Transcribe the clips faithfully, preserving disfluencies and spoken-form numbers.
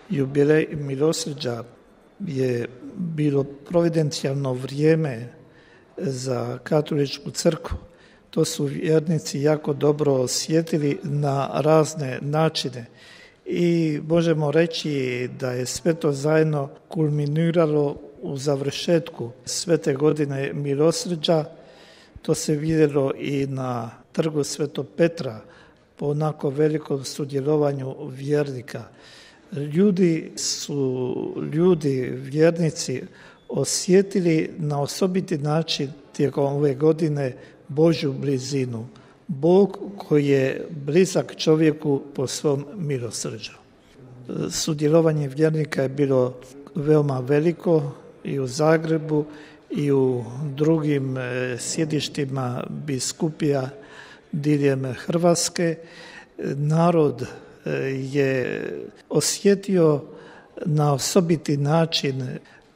Jubilej milosrđa je bilo providencijalno vrijeme za katoličku crkvu. To su vjernici jako dobro osjetili na razne načine i možemo reći da je sve to zajedno kulminiralo u završetku svete godine milosrđa. To se vidjelo i na trgu Svetog Petra po onako velikom sudjelovanju vjernika. Ljudi su, ljudi, vjernici, osjetili na osobiti način tijekom ove godine Božju blizinu. Bog koji je blizak čovjeku po svom milosrđu. Sudjelovanje vjernika je bilo veoma veliko i u Zagrebu i u drugim sjedištima biskupija diljem Hrvatske. Narod je osjetio na osobiti način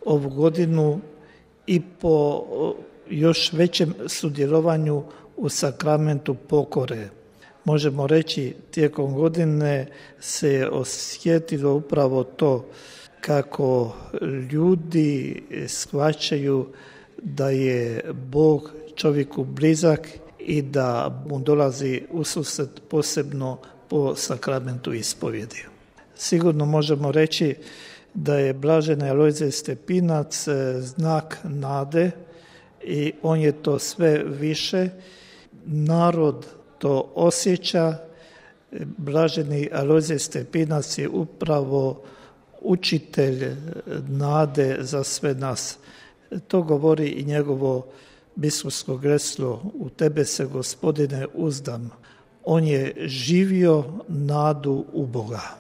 ovu godinu i po još većem sudjelovanju u sakramentu pokore. Možemo reći, tijekom godine se osjetilo upravo to kako ljudi shvaćaju da je Bog čovjeku blizak i da mu dolazi ususret posebno po sakramentu ispovjedi. Sigurno možemo reći da je blaženi Alojzije Stepinac znak nade i on je to sve više. Narod to osjeća. Blaženi Alojzije Stepinac je upravo učitelj nade za sve nas. To govori i njegovo biskupsko geslo: u tebe se, Gospodine, uzdam. On je živio nadu u Boga.